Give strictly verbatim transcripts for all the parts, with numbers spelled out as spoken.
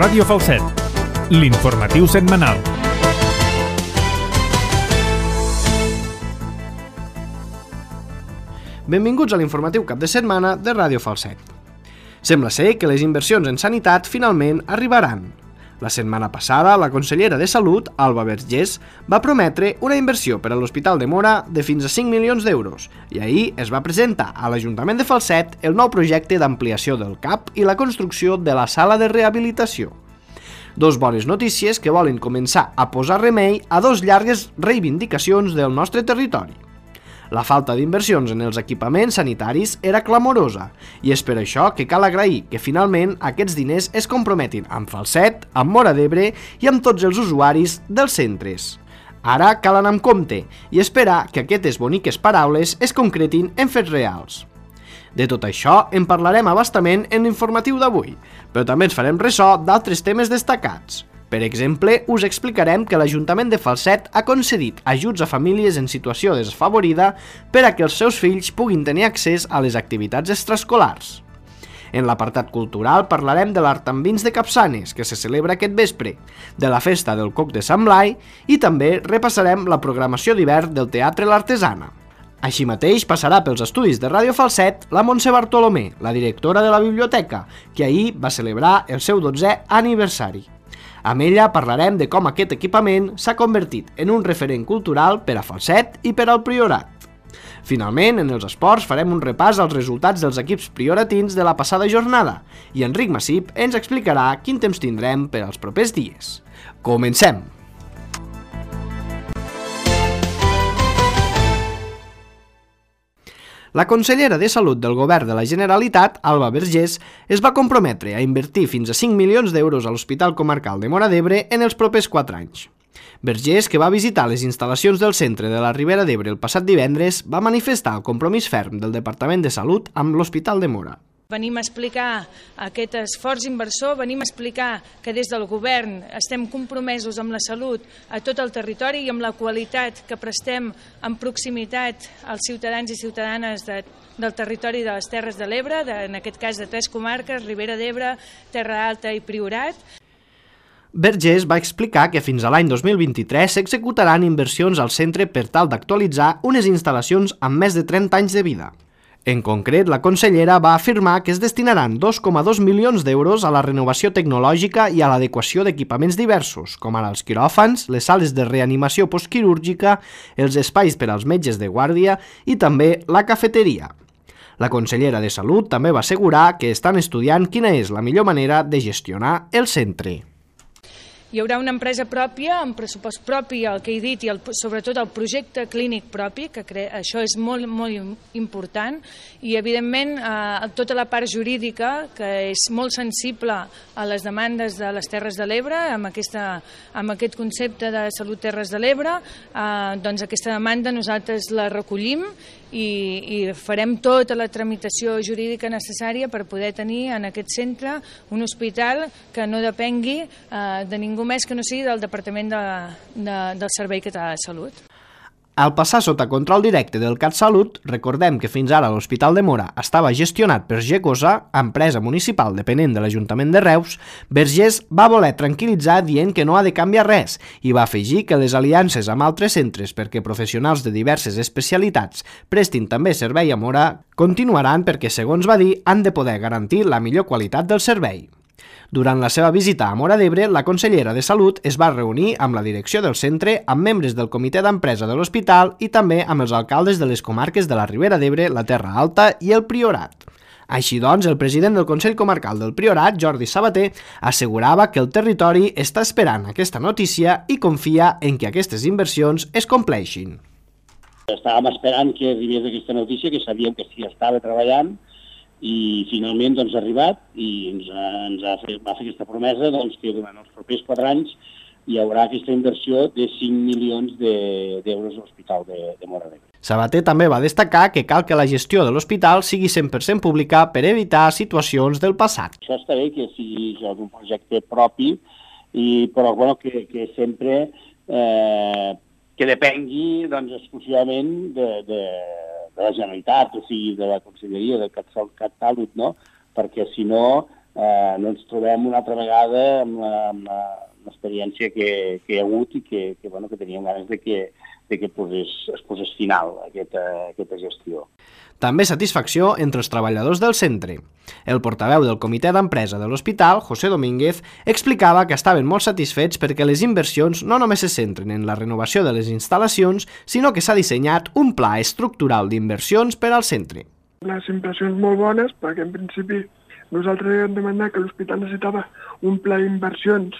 Ràdio Falset, l'informatiu setmanal. Benvinguts a l'informatiu cap de setmana de Ràdio Falset. Sembla ser que les inversions en sanitat finalment arribaran. La setmana passada, la consellera de Salut, Alba Vergés, va prometre una inversió per a l'Hospital de Móra de fins a cinc milions d'euros i ahir es va presentar a l'Ajuntament de Falset el nou projecte d'ampliació del C A P i la construcció de la sala de rehabilitació. Dos bones notícies que volen començar a posar remei a dos llargues reivindicacions del nostre territori. La falta d'inversions en els equipaments sanitaris era clamorosa i és per això que cal agrair que finalment aquests diners es comprometin amb Falset, amb Móra d'Ebre i amb tots els usuaris dels centres. Ara cal anar amb compte i esperar que aquestes boniques paraules es concretin en fets reals. De tot això en parlarem a bastament en l'informatiu d'avui, però també ens farem ressò d'altres temes destacats. Per exemple, us explicarem que l'Ajuntament de Falset ha concedit ajuts a famílies en situació desfavorida per a que els seus fills puguin tenir accés a les activitats extraescolars. En l'apartat cultural parlarem de l'Art amb Vins de Capçanes, que se celebra aquest vespre, de la Festa del Coc de Sant Blai i també repassarem la programació d'hivern del Teatre L'Artesana. Així mateix passarà pels estudis de Ràdio Falset la Montse Bartolomé, la directora de la biblioteca, que ahir va celebrar el seu dotzè aniversari. Amb ella parlarem de com aquest equipament s'ha convertit en un referent cultural per a Falset i per al Priorat. Finalment, en els esports farem un repàs als resultats dels equips prioratins de la passada jornada i Enric Massip ens explicarà quin temps tindrem per als propers dies. Comencem! La consellera de Salut del Govern de la Generalitat, Alba Vergés, es va comprometre a invertir fins a cinc milions d'euros a l'Hospital Comarcal de Móra d'Ebre en els propers quatre anys. Vergés, que va visitar les instal·lacions del centre de la Ribera d'Ebre el passat divendres, va manifestar el compromís ferm del Departament de Salut amb l'Hospital de Móra. Venim a explicar aquest esforç inversor, venim a explicar que des del govern estem compromesos amb la salut a tot el territori i amb la qualitat que prestem en proximitat als ciutadans i ciutadanes de, del territori de les Terres de l'Ebre, de, en aquest cas de tres comarques, Ribera d'Ebre, Terra Alta i Priorat. Vergés va explicar que fins a l'any dos mil vint-i-tres s'executaran inversions al centre per tal d'actualitzar unes instal·lacions amb més de trenta anys de vida. En concret, la consellera va afirmar que es destinaran dos coma dos milions d'euros a la renovació tecnològica i a l'adequació d'equipaments diversos, com ara els quiròfans, les sales de reanimació postquirúrgica, els espais per als metges de guàrdia i també la cafeteria. La consellera de Salut també va assegurar que estan estudiant quina és la millor manera de gestionar el centre. Hi haurà una empresa pròpia, amb pressupost propi, el que he dit, i el, sobretot el projecte clínic propi, que cre... això és molt, molt important, i evidentment eh, tota la part jurídica, que és molt sensible a les demandes de les Terres de l'Ebre, amb, aquesta, amb aquest concepte de Salut Terres de l'Ebre, eh, doncs aquesta demanda nosaltres la recollim i, i farem tota la tramitació jurídica necessària per poder tenir en aquest centre un hospital que no depengui eh, de ningú més que no sigui del Departament de, de, del Servei Català de Salut. Al passar sota control directe del CatSalut, recordem que fins ara l'Hospital de Móra estava gestionat per Gecosa, empresa municipal dependent de l'Ajuntament de Reus. Vergés va voler tranquil·litzar dient que no ha de canviar res i va afegir que les aliances amb altres centres perquè professionals de diverses especialitats prestin també servei a Móra continuaran perquè, segons va dir, han de poder garantir la millor qualitat del servei. Durant la seva visita a Móra d'Ebre, la consellera de Salut es va reunir amb la direcció del centre, amb membres del comitè d'empresa de l'hospital i també amb els alcaldes de les comarques de la Ribera d'Ebre, la Terra Alta i el Priorat. Així doncs, el president del Consell Comarcal del Priorat, Jordi Sabater, assegurava que el territori està esperant aquesta notícia i confia en que aquestes inversions es compleixin. Estàvem esperant que arribés aquesta notícia, que sabíem que s'hi estava treballant, i finalment doncs, ha arribat i ens, ha, ens ha fet, va fer aquesta promesa doncs, que durant els propers quatre anys hi haurà aquesta inversió de cinc milions d'euros a l'Hospital de, de Móra d'Ebre. Sabater també va destacar que cal que la gestió de l'hospital sigui cent per cent pública per evitar situacions del passat. Això està bé que sigui un projecte propi, i, però bueno, que, que sempre eh, que depengui doncs, exclusivament de, de, de la Generalitat, o sigui, de la Conselleria de CatSalut, no? Perquè si no eh, no ens trobem una altra vegada amb la, amb la, l'experiència que, que hi ha hagut i que, que, bueno, que teníem ganes de que, de que posés, es posés final a aquesta, a aquesta gestió. També satisfacció entre els treballadors del centre. El portaveu del comitè d'empresa de l'hospital, José Domínguez, explicava que estaven molt satisfets perquè les inversions no només se centren en la renovació de les instal·lacions, sinó que s'ha dissenyat un pla estructural d'inversions per al centre. Les impressions molt bones, perquè en principi nosaltres hem demanat que l'hospital necessitava un pla d'inversions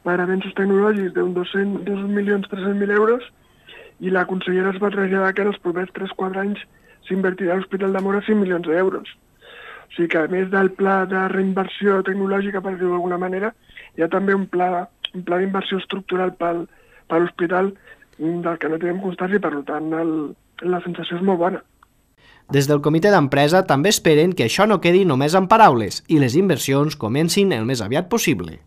per avenços tecnològics d'un dos milions tres-cents mil euros i la consellera es va traslladar que en els propers tres a quatre anys s'invertirà a l'Hospital de Móra cinc milions d'euros. O sigui que a més del pla de reinversió tecnològica, per dir-ho d'alguna manera, hi ha també un pla, un pla d'inversió estructural pel, per l'hospital del que no tenim constància i per tant el, la sensació és molt bona. Des del comitè d'empresa també esperen que això no quedi només en paraules i les inversions comencin el més aviat possible.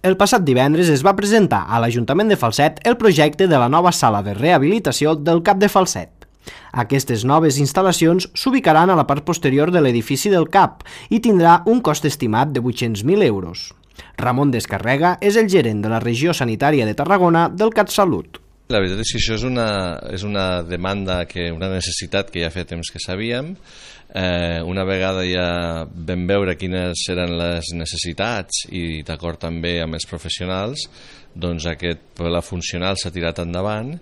El passat divendres es va presentar a l'Ajuntament de Falset el projecte de la nova sala de rehabilitació del CAP de Falset. Aquestes noves instal·lacions s'ubicaran a la part posterior de l'edifici del CAP i tindrà un cost estimat de vuit-cents mil euros. Ramon Descarrega és el gerent de la regió sanitària de Tarragona del CatSalut. La veritat és que això és una, és una demanda, que, una necessitat que ja fa temps que sabíem. Eh, una vegada ja vam veure quines eren les necessitats i d'acord també amb els professionals, doncs aquest pla funcional s'ha tirat endavant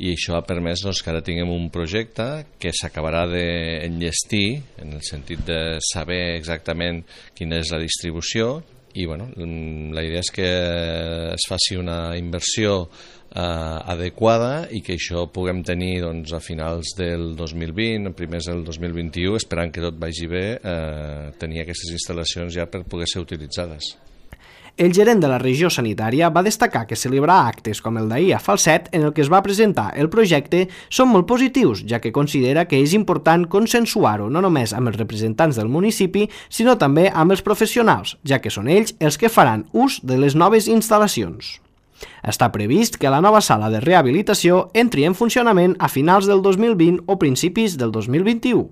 i això ha permès doncs, que ara tinguem un projecte que s'acabarà d'enllestir en el sentit de saber exactament quina és la distribució i bueno, la idea és que es faci una inversió eh, adequada i que això puguem tenir doncs, a finals del dos mil vint, primers del dos mil vint-i-u, esperant que tot vagi bé, eh, tenir aquestes instal·lacions ja per poder ser utilitzades. El gerent de la regió sanitària va destacar que celebrar actes com el d'ahir a Falset, en el que es va presentar el projecte, són molt positius, ja que considera que és important consensuar-ho no només amb els representants del municipi, sinó també amb els professionals, ja que són ells els que faran ús de les noves instal·lacions. Està previst que la nova sala de rehabilitació entri en funcionament a finals del dos mil vint o principis del dos mil vint-i-u.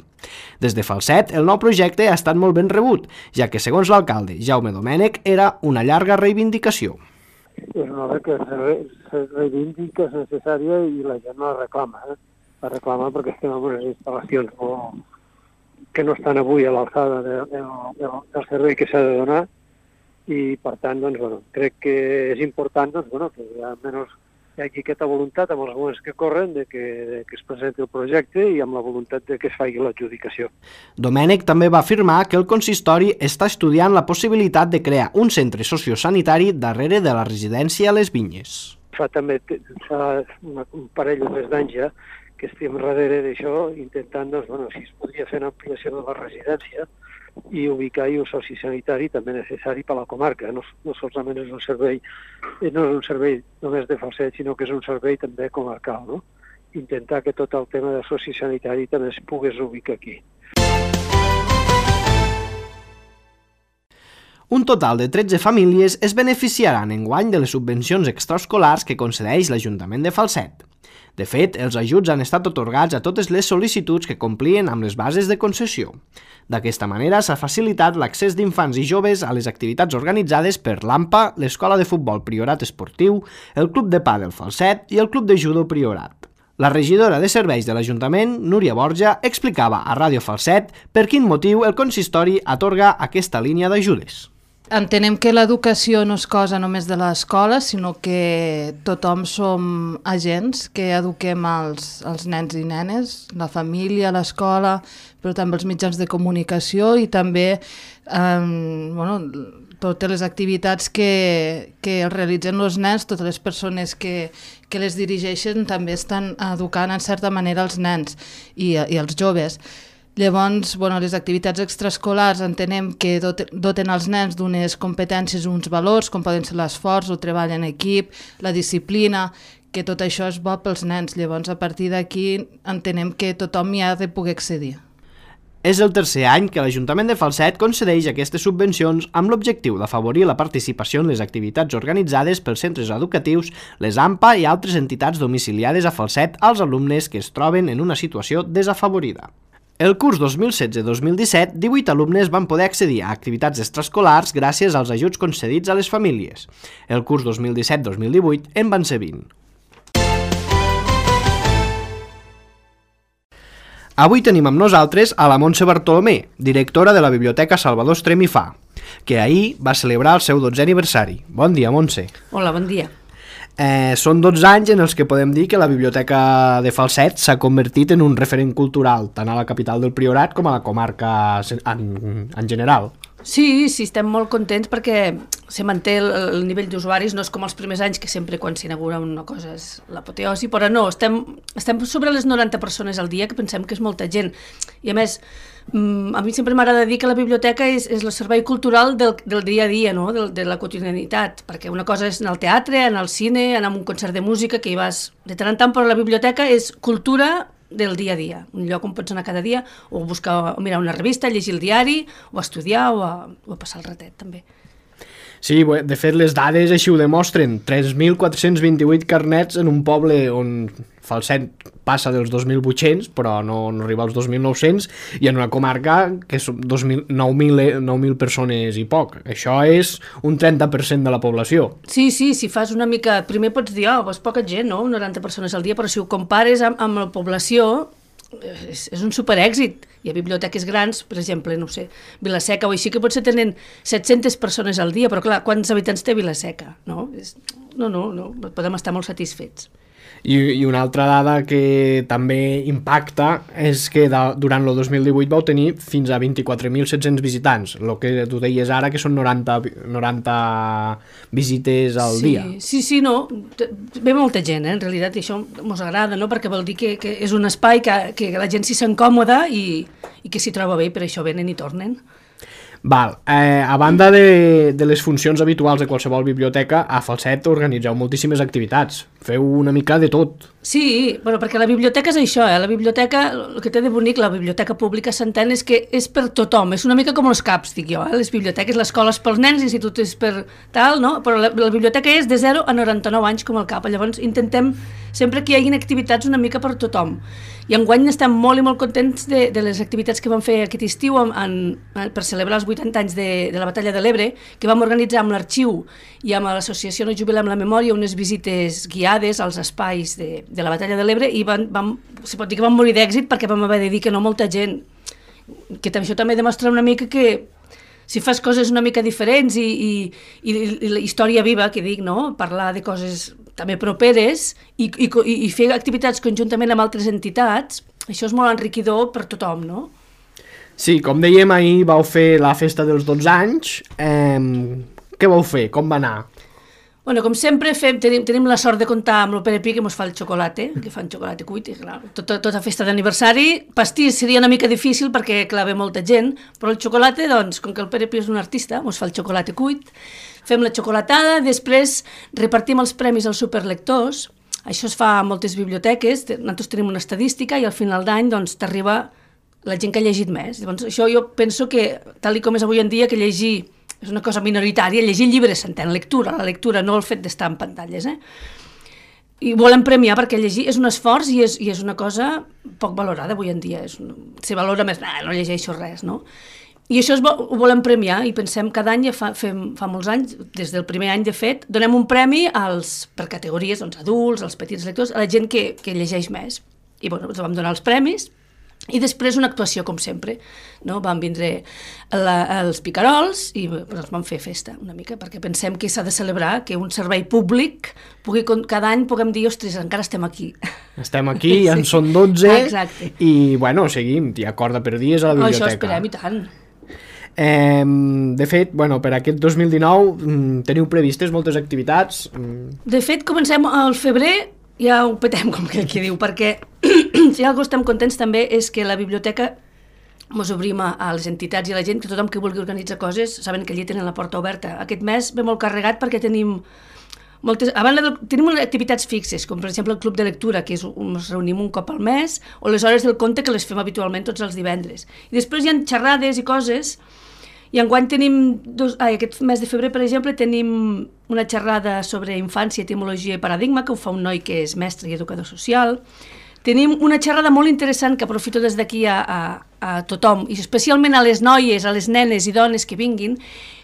Des de Falset, el nou projecte ha estat molt ben rebut, ja que, segons l'alcalde Jaume Domènech, era una llarga reivindicació. És una obra que se reivindica, és necessària i la gent la reclama. Eh? La reclama perquè estem en unes instal·lacions molt... que no estan avui a l'alçada de, de, de, del servei que s'ha de donar i, per tant, doncs, bueno, crec que és important doncs, bueno, que almenys hi hagi aquesta voluntat amb els moments que corren de que, de que es presenti el projecte i amb la voluntat de que es faci l'adjudicació. Domènech també va afirmar que el consistori està estudiant la possibilitat de crear un centre sociosanitari darrere de la residència a les Vinyes. Fa també fa una, un parell o més d'anys ja que estem darrere d'això intentant doncs, bueno, si es podria fer una ampliació de la residència i ubicar-hi un soci sanitari també necessari per a la comarca. No, no solament és un servei, no és un servei només de Falset, sinó que és un servei també comarcal, no? Intentar que tot el tema de soci sanitari també es pogués ubicar aquí. Un total de tretze famílies es beneficiaran enguany de les subvencions extraescolars que concedeix l'Ajuntament de Falset. De fet, els ajuts han estat atorgats a totes les sol·licituds que complien amb les bases de concessió. D'aquesta manera s'ha facilitat l'accés d'infants i joves a les activitats organitzades per l'AMPA, l'Escola de Futbol Priorat Esportiu, el Club de Pàdel Falset i el Club de Judo Priorat. La regidora de serveis de l'Ajuntament, Núria Borja, explicava a Ràdio Falset per quin motiu el consistori atorga aquesta línia d'ajudes. Entenem que l'educació no és cosa només de l'escola, sinó que tothom som agents que eduquem els, els nens i nenes, la família, l'escola, però també els mitjans de comunicació i també eh, bueno, totes les activitats que, que realitzen els nens, totes les persones que, que les dirigeixen també estan educant en certa manera els nens i, i els joves. Llavors, bueno, les activitats extraescolars entenem que doten els nens d'unes competències, uns valors, com poden ser l'esforç, el treball en equip, la disciplina, que tot això és bo pels nens. Llavors, a partir d'aquí, entenem que tothom hi ha de poder accedir. És el tercer any que l'Ajuntament de Falset concedeix aquestes subvencions amb l'objectiu d'afavorir la participació en les activitats organitzades pels centres educatius, les AMPA i altres entitats domiciliades a Falset als alumnes que es troben en una situació desafavorida. El curs dos mil setze dos mil disset, divuit alumnes van poder accedir a activitats extraescolars gràcies als ajuts concedits a les famílies. El curs dos mil disset dos mil divuit en van ser vint. Avui tenim amb nosaltres a la Montse Bartolomé, directora de la Biblioteca Salvador Estrem i Fa, que ahir va celebrar el seu dotzè aniversari. Bon dia, Montse. Hola, bon dia. Eh, són dotze anys en els que podem dir que la Biblioteca de Falset s'ha convertit en un referent cultural, tant a la capital del Priorat com a la comarca en, en general. Sí, sí, estem molt contents perquè se manté el, el nivell d'usuaris, no és com els primers anys que sempre quan s'inaugura una cosa és l'apoteosi, però no, estem, estem sobre les noranta persones al dia, que pensem que és molta gent. I a més, a mi sempre m'agrada dir que la biblioteca és, és el servei cultural del, del dia a dia, no? de, de la quotidianitat, perquè una cosa és anar al teatre, anar al cine, anar a un concert de música, que hi vas de tant en tant, però la biblioteca és cultura del dia a dia, un lloc on pots anar cada dia o buscar, o mirar una revista, llegir el diari, o estudiar, o a, o a passar el ratet, també. Sí, de fet les dades així ho demostren, tres mil quatre-cents vint-i-vuit carnets en un poble on Falset passa dels dos mil vuit-cents, però no, no arriba als dos mil nou-cents, i en una comarca que són nou mil persones i poc. Això és un trenta per cent de la població. Sí, sí, si fas una mica... Primer pots dir, oh, és poca gent, no? noranta persones al dia, però si ho compares amb, amb la població, és, és un superèxit. Hi ha biblioteques grans, per exemple, no sé, Vila-seca o així, que potser tenen set-centes persones al dia, però clar, quants habitants té Vila-seca? No? És, no, no, no, podem estar molt satisfets. I, i una altra dada que també impacta és que de, durant el dos mil divuit vau tenir fins a vint-i-quatre mil set-cents visitants, el que tu deies ara que són noranta, noranta visites al sí, dia. Sí, sí, no, ve molta gent, eh, en realitat, i això ens agrada, no? Perquè vol dir que, que és un espai que, que la gent s'hi sent còmoda i, i que s'hi troba bé, per això venen i tornen. Val, eh, a banda de, de les funcions habituals de qualsevol biblioteca, a Falset organitzeu moltíssimes activitats, feu una mica de tot. Sí, bueno, perquè la biblioteca és això, eh? La biblioteca, el que té de bonic, la biblioteca pública s'entén és que és per tothom, és una mica com els caps, dic jo, eh? Les biblioteques, l'escola és pels nens, l'institut és per tal, no? Però la, la biblioteca és de zero a noranta-nou anys com el cap, llavors intentem sempre que hi hagi activitats una mica per tothom. I enguany estem molt i molt contents de, de les activitats que vam fer aquest estiu en, en, per celebrar els vuitanta anys de, de la Batalla de l'Ebre, que vam organitzar amb l'Arxiu i amb l'associació No Jubilem la Memòria unes visites guiades als espais de, de la Batalla de l'Ebre, i van, vam, se pot dir que vam morir d'èxit perquè vam haver de dir que no molta gent, que això també demostra una mica que si fas coses una mica diferents i, i, i, i la història viva, que dic, no? Parlar de coses també properes i, i, i fer activitats conjuntament amb altres entitats, això és molt enriquidor per tothom, no? Sí, com dèiem, ahir vau fer la festa dels dotze anys. Eh, què vau fer? Com va anar? Bueno, com sempre, fem, tenim, tenim la sort de comptar amb el Pere Pi, que ens fa el xocolate, que fan xocolate cuit, i clar, tota, tota festa d'aniversari. Pastís seria una mica difícil perquè, clar, ve molta gent, però el xocolate, doncs, com que el Pere Pi és un artista, ens fa el xocolate cuit, fem la xocolatada, després repartim els premis als superlectors. Això es fa a moltes biblioteques, nosaltres tenim una estadística i al final d'any doncs, t'arriba la gent que ha llegit més. Llavors, això jo penso que, tal com és avui en dia, que llegir és una cosa minoritària, llegir llibres s'entén, lectura, la lectura, no el fet d'estar en pantalles, eh? I volem premiar perquè llegir és un esforç i és, i és una cosa poc valorada avui en dia. És un, se valora més, nah, no llegeixo res, no? I això es, ho volem premiar i pensem cada any, ja fa, fem, fa molts anys, des del primer any de fet, donem un premi als, per categories, doncs, adults, als petits lectors, a la gent que, que llegeix més. I bueno, ens vam donar els premis i després una actuació, com sempre, no? Van vindre la, els picarols i ens van fer festa una mica, perquè pensem que s'ha de celebrar que un servei públic pugui, cada any puguem dir, ostres, encara estem aquí. Estem aquí, ja en sí. Són dotze. Exacte. I, bueno, seguim, hi ha corda per dies a la biblioteca. Això esperem, i tant. Eh, de fet, bueno, per aquest dos mil dinou teniu previstes moltes activitats? De fet, comencem al febrer, ja ho petem, com que qui diu, perquè si algo estem contents també és que la biblioteca ens obrim a, a les entitats i a la gent, que tothom que vulgui organitzar coses saben que allí tenen la porta oberta. Aquest mes ve molt carregat perquè tenim moltes, a banda de, tenim activitats fixes, com per exemple el club de lectura, que és, ens reunim un cop al mes, o les hores del conte, que les fem habitualment tots els divendres. I després hi ha xerrades i coses, i enguany tenim, dos, ai, aquest mes de febrer, per exemple, tenim una xerrada sobre infància, etimologia i paradigma, que ho fa un noi que és mestre i educador social. tenim una xerrada molt interessant que aprofito des d'aquí a, a, a tothom, i especialment a les noies, a les nenes i dones que vinguin,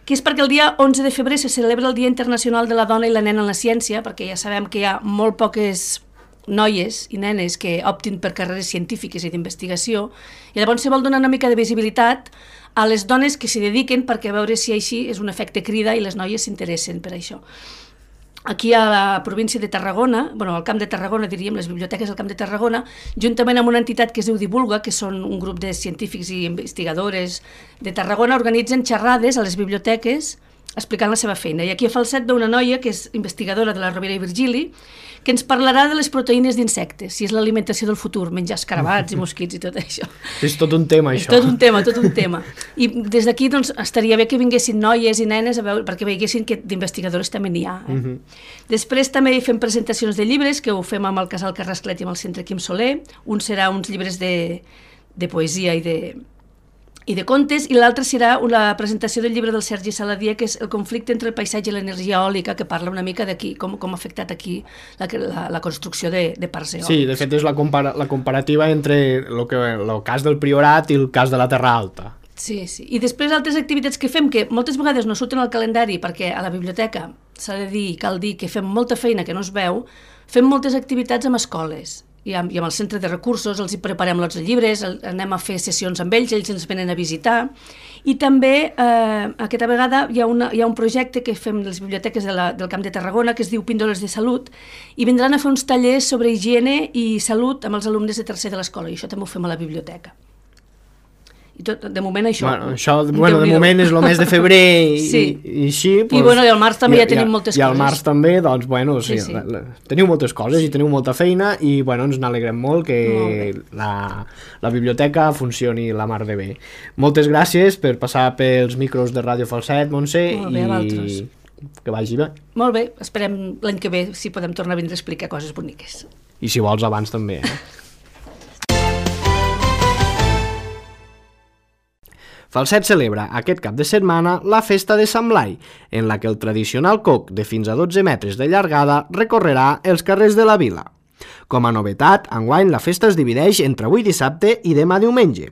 que és perquè el dia onze de febrer se celebra el Dia Internacional de la Dona i la Nena en la Ciència, perquè ja sabem que hi ha molt poques noies i nenes que optin per carreres científiques i d'investigació, i llavors se vol donar una mica de visibilitat a les dones que s'hi dediquen perquè a veure si així és un efecte crida i les noies s'interessen per això. Aquí a la província de Tarragona, bueno, al Camp de Tarragona, diríem, les biblioteques del Camp de Tarragona, juntament amb una entitat que es diu Divulga, que són un grup de científics i investigadores de Tarragona, organitzen xerrades a les biblioteques explicant la seva feina. I aquí a Falset ve una noia que és investigadora de la Rovira i Virgili, que ens parlarà de les proteïnes d'insectes, si és l'alimentació del futur, menjar escarabats i mosquits i tot això. És tot un tema, això. És tot un tema, tot un tema. I des d'aquí doncs, estaria bé que vinguessin noies i nenes a veure, perquè veiessin que d'investigadores també n'hi ha. Eh? Uh -huh. Després també fem presentacions de llibres, que ho fem amb el Casal Carrasclet i amb el Centre Quim Soler. Un serà uns llibres de, de poesia i de... i de contes, i l'altre serà una presentació del llibre del Sergi Saladier, que és el conflicte entre el paisatge i l'energia eòlica, que parla una mica d'aquí, com, com ha afectat aquí la, la, la construcció de, de parcs eòlics. Sí, de fet és la, compara la comparativa entre el, que, el cas del Priorat i el cas de la Terra Alta. Sí, sí. I després altres activitats que fem, que moltes vegades no surten al calendari, perquè a la biblioteca s'ha de dir, cal dir, que fem molta feina que no es veu, fem moltes activitats amb escoles, i amb, i amb el centre de recursos, els hi preparem lots de llibres, el, anem a fer sessions amb ells, ells ens venen a visitar, i també eh, aquesta vegada hi ha, una, hi ha un projecte que fem les biblioteques de la, del Camp de Tarragona, que es diu Píndoles de Salut, i vindran a fer uns tallers sobre higiene i salut amb els alumnes de tercer de l'escola, i això també ho fem a la biblioteca. I tot, de moment això. Bueno, això bueno, de moment és el mes de febrer i, sí. i, i així. Pues, I, bueno, i al març també i, ja tenim moltes i, coses. I al març també, doncs, bueno, sí, sí, sí. La, la, teniu moltes coses i teniu molta feina i, bueno, ens n'alegrem molt que molt la, la biblioteca funcioni la mar de bé. Moltes gràcies per passar pels micros de Ràdio Falset, Montse, molt bé, i que vagi bé. Molt bé, esperem l'any que ve si podem tornar a vindre a explicar coses boniques. I si vols abans també, eh? Falset celebra aquest cap de setmana la festa de Sant Blai, en la que el tradicional coc de fins a dotze metres de llargada recorrerà els carrers de la vila. Com a novetat, enguany la festa es divideix entre avui dissabte i demà diumenge.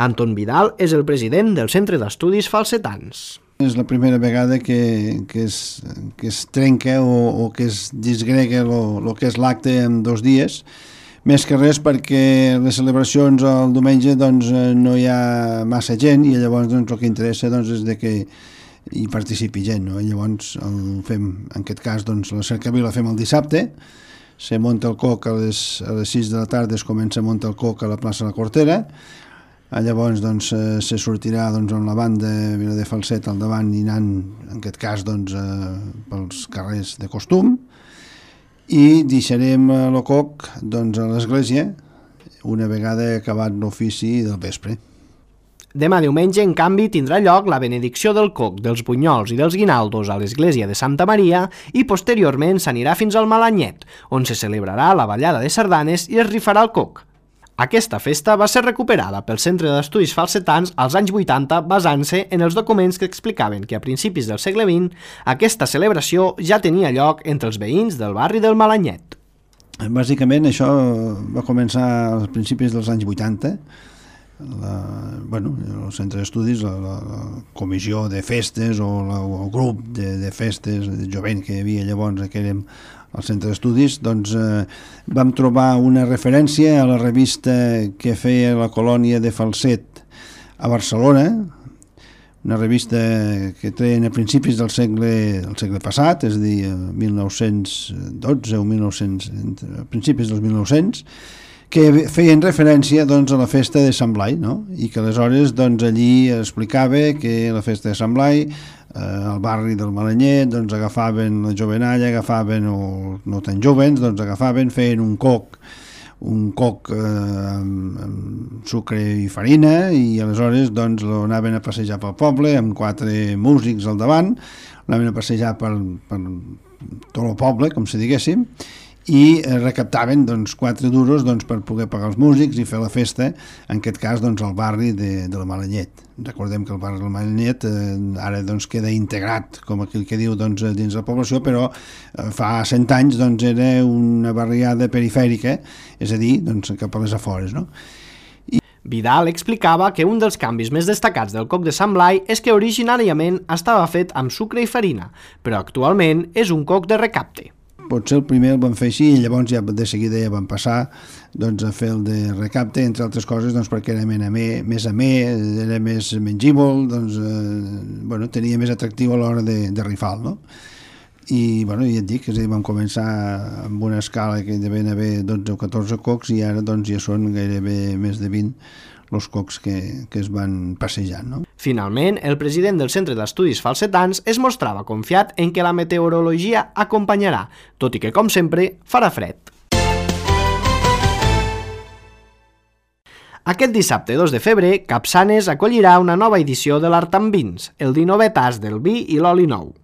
Anton Vidal és el president del Centre d'Estudis Falsetans. És la primera vegada que, que, es, que es trenca o, o que es disgrega el que és l'acte en dos dies, més que res perquè les celebracions el diumenge doncs, no hi ha massa gent i llavors doncs, el que interessa doncs, és de que hi participi gent. No? I llavors el fem, en aquest cas doncs, la cercavila la fem el dissabte, se munta el coc a les, a les sis de la tarda, es comença a muntar el coc a la plaça de la Cortera, llavors doncs, se sortirà doncs, amb la banda Vila de Falset al davant i anant, en aquest cas, doncs, pels carrers de costum, i deixarem el coc doncs, a l'església una vegada acabat l'ofici del vespre. Demà diumenge, en canvi, tindrà lloc la benedicció del coc, dels bunyols i dels guinaldos a l'església de Santa Maria i posteriorment s'anirà fins al Malanyet, on se celebrarà la ballada de sardanes i es rifarà el coc. Aquesta festa va ser recuperada pel Centre d'Estudis Falsetans als anys vuitanta basant-se en els documents que explicaven que a principis del segle vint aquesta celebració ja tenia lloc entre els veïns del barri del Malanyet. Bàsicament això va començar als principis dels anys vuitanta. La, bueno, el Centre d'Estudis, la, la, la comissió de festes o, la, o el grup de, de festes de jovent que hi havia llavors, que érem al Centre d'Estudis, doncs eh, vam trobar una referència a la revista que feia la colònia de Falset a Barcelona, una revista que treien a principis del segle, del segle passat, és a dir, mil nou-cents dotze o mil nou-cents, a principis dels mil nou-cents, que feien referència doncs, a la festa de Sant Blai, no? I que aleshores doncs, allí explicava que la festa de Sant Blai, eh, al barri del Malanyet, doncs, agafaven la jovenalla, agafaven, o no tan jovens, doncs agafaven, feien un coc, un coc eh, amb, amb sucre i farina, i aleshores doncs, l'anaven a passejar pel poble amb quatre músics al davant, l'anaven a passejar per, per tot el poble, com si diguéssim, i recaptaven doncs, quatre duros doncs, per poder pagar els músics i fer la festa, en aquest cas doncs, al barri de, de la Malallet. Recordem que el barri de la Malallet eh, ara doncs, queda integrat, com aquell que diu, doncs, dins la població, però eh, fa cent anys doncs, era una barriada perifèrica, és a dir, doncs, cap a les afores, no? Vidal explicava que un dels canvis més destacats del coc de Sant Blai és que originàriament estava fet amb sucre i farina, però actualment és un coc de recapte. Potser el primer el van fer així i llavors ja de seguida ja van passar doncs, a fer el de recapte, entre altres coses doncs, perquè era més amè, més amè, era més mengíbol, doncs, eh, bueno, tenia més atractiu a l'hora de, de rifar, no? I bueno, ja et dic, és a dir, vam començar amb una escala que devien haver dotze o catorze cocs i ara doncs, ja són gairebé més de vint els cocs que, que es van passejant, no? Finalment, el president del Centre d'Estudis Falsetans es mostrava confiat en que la meteorologia acompanyarà, tot i que, com sempre, farà fred. Aquest dissabte dos de febrer, Capçanes acollirà una nova edició de l'Art amb Vins, el dinovè tas del vi i l'oli nou.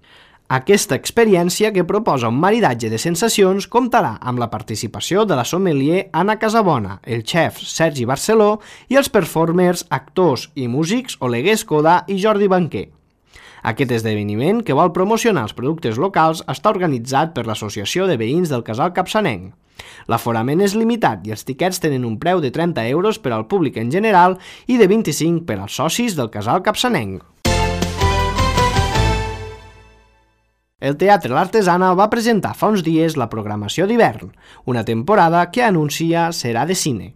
Aquesta experiència, que proposa un maridatge de sensacions, comptarà amb la participació de la sommelier Anna Casabona, el xef Sergi Barceló i els performers, actors i músics Oleguer Escoda i Jordi Banquer. Aquest esdeveniment, que vol promocionar els productes locals, està organitzat per l'Associació de Veïns del Casal Capçanenc. L'aforament és limitat i els tiquets tenen un preu de trenta euros per al públic en general i de vint-i-cinc per als socis del Casal Capçanenc. El Teatre L'Artesana va presentar fa uns dies la programació d'hivern, una temporada que anuncia serà de cine.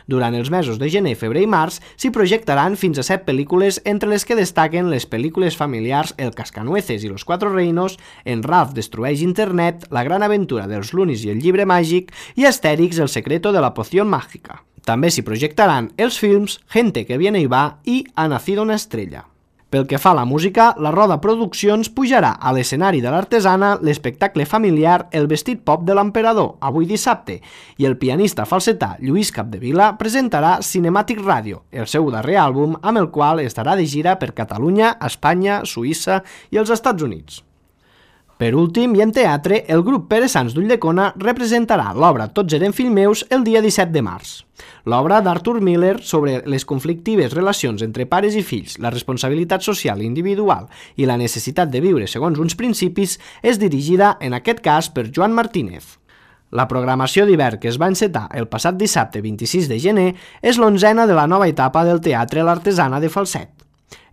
Durant els mesos de gener, febrer i març s'hi projectaran fins a set pel·lícules, entre les que destaquen les pel·lícules familiars El Cascanueces i Los Cuatro Reinos, En Ralph destrueix Internet, La gran aventura dels Lunis i el llibre màgic i Astèrix, El secreto de la poción mágica. També s'hi projectaran els films Gente que viene y va i Ha nacido una estrella. Pel que fa a la música, la Roda Produccions pujarà a l'escenari de l'Artesana l'espectacle familiar El vestit pop de l'emperador, avui dissabte, i el pianista falsetà Lluís Capdevila presentarà Cinematic Radio, el seu darrer àlbum, amb el qual estarà de gira per Catalunya, Espanya, Suïssa i els Estats Units. Per últim, i en teatre, el grup Pere Sans d'Ulldecona representarà l'obra Tots eren fills meus el dia disset de març. L'obra d'Arthur Miller sobre les conflictives relacions entre pares i fills, la responsabilitat social i individual i la necessitat de viure segons uns principis és dirigida, en aquest cas, per Joan Martínez. La programació d'hivern que es va encetar el passat dissabte vint-i-sis de gener és l'onzena de la nova etapa del Teatre L'Artesana de Falset.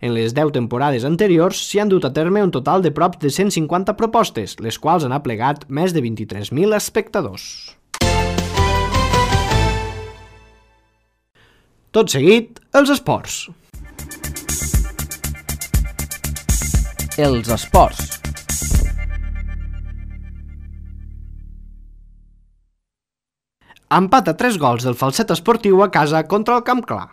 En les deu temporades anteriors s'hi han dut a terme un total de prop de cent cinquanta propostes, les quals han aplegat més de vint-i-tres mil espectadors. Tot seguit, els esports. Els esports. Empat a tres gols del Falset Esportiu a casa contra el Camp Clar.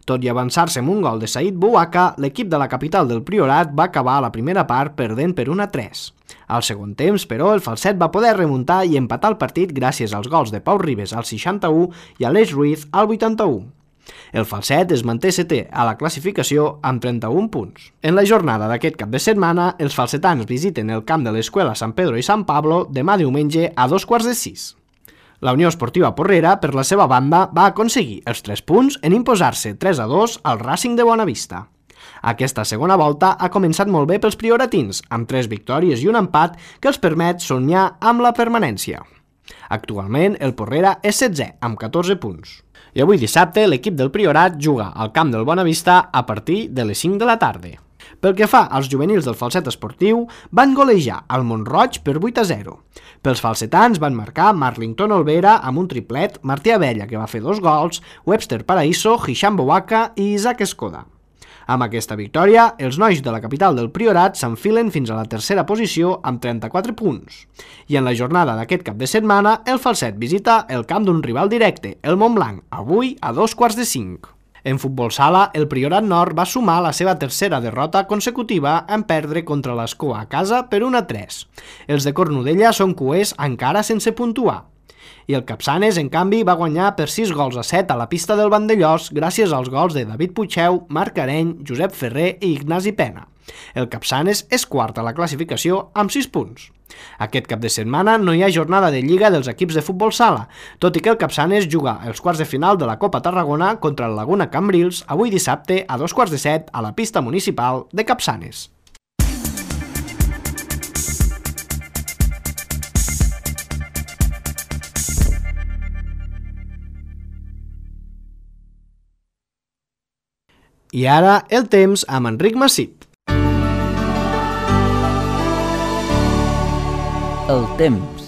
Tot i avançar-se amb un gol de Saïd Bouaka, l'equip de la capital del Priorat va acabar la primera part perdent per un a tres. Al segon temps, però, el Falset va poder remuntar i empatar el partit gràcies als gols de Pau Ribes al seixanta-u i Aleix Ruiz al vuitanta-u. El Falset es manté setè a la classificació amb trenta-un punts. En la jornada d'aquest cap de setmana, els falsetans visiten el camp de l'Escuela San Pedro i San Pablo demà diumenge a dos quarts de sis. La Unió Esportiva Porrera, per la seva banda, va aconseguir els tres punts en imposar-se tres a dos al Racing de Bonavista. Aquesta segona volta ha començat molt bé pels prioratins, amb tres victòries i un empat que els permet somiar amb la permanència. Actualment, el Porrera és setzè, amb catorze punts. I avui dissabte, l'equip del Priorat juga al camp del Bonavista a partir de les cinc de la tarda. Pel que fa als juvenils del Falset Esportiu, van golejar al Montroig per vuit a zero. Pels falsetans van marcar Marlington Olvera amb un triplet, Martí Abella, que va fer dos gols, Webster Paraíso, Hisham Bouaka i Isaac Escoda. Amb aquesta victòria, els nois de la capital del Priorat s'enfilen fins a la tercera posició amb trenta-quatre punts. I en la jornada d'aquest cap de setmana, el Falset visita el camp d'un rival directe, el Montblanc, avui a dos quarts de cinc. En futbol sala, el Priorat Nord va sumar la seva tercera derrota consecutiva en perdre contra l'Escó a casa per un a tres. Els de Cornudella són cuers encara sense puntuar. I el Capçanes, en canvi, va guanyar per sis gols a set a la pista del Vandellós gràcies als gols de David Puigdeu, Marc Areny, Josep Ferrer i Ignasi Pena. El Capçanes és quart a la classificació amb sis punts. Aquest cap de setmana no hi ha jornada de Lliga dels equips de futbol sala, tot i que el Capçanes juga els quarts de final de la Copa Tarragona contra el Laguna Cambrils avui dissabte a dos quarts de set a la pista municipal de Capçanes. I ara el temps amb Enric Massip. El temps.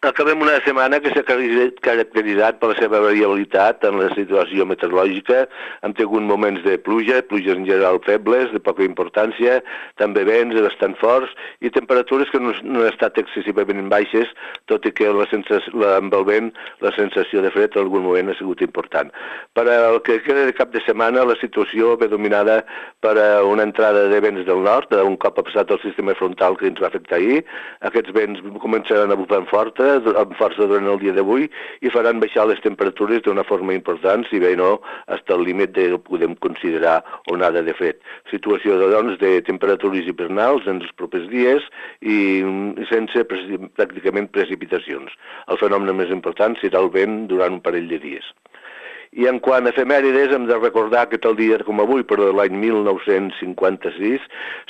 Acabem una setmana que s'ha caracteritzat per la seva variabilitat en la situació meteorològica. Hem tingut moments de pluja, pluges en general febles, de poca importància, també vents bastant forts i temperatures que no, no han estat excessivament baixes, tot i que la sensació, la, amb el vent la sensació de fred en algun moment ha sigut important. Per al que queda de cap de setmana, la situació ve dominada per una entrada de vents del nord, un cop ha passat el sistema frontal que ens va afectar ahir. Aquests vents començaran a bufar forta, amb força durant el dia d'avui i faran baixar les temperatures d'una forma important, si bé no, fins al límit de podem considerar onada de fred. Situació doncs, de temperatures hivernals en els propers dies i sense pràcticament precipitacions. El fenomen més important serà el vent durant un parell de dies. I en quant a efemèrides, hem de recordar que tal dia com avui, però de l'any mil nou-cents cinquanta-sis,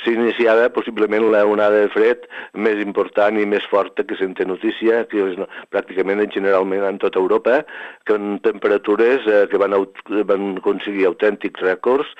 s'iniciava possiblement la onada de fred més important i més forta que se'n té notícia, que és pràcticament generalment en tota Europa, que en temperatures eh, que van, van aconseguir autèntics rècords,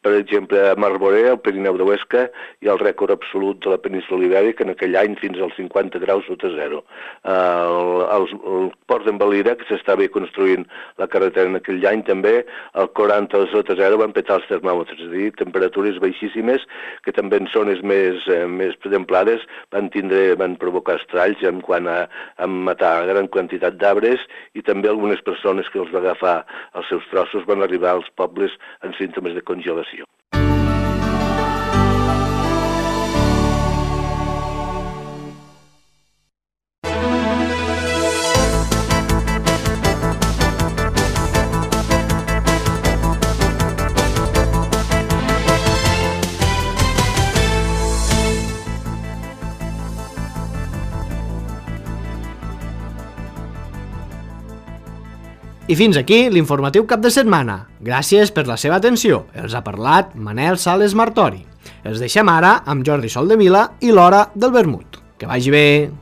per exemple a Marboré, al Pirineu de Huesca, i el rècord absolut de la península Ibèrica en aquell any fins als cinquanta graus sota zero. Eh, el, el, el port d'en Valira, que s'estava construint la carretera en aquell aquell any també, al quaranta sota zero van petar els termòmetres, és a dir, temperatures baixíssimes que també en zones més, eh, més templades van tindre, van provocar estralls en quant a, a matar gran quantitat d'arbres i també algunes persones que els va agafar els seus trossos van arribar als pobles amb símptomes de congelació. I fins aquí l'informatiu cap de setmana. Gràcies per la seva atenció. Els ha parlat Manel Sales Martori. Els deixem ara amb Jordi Soldevila i l'Hora del Vermut. Que vagi bé!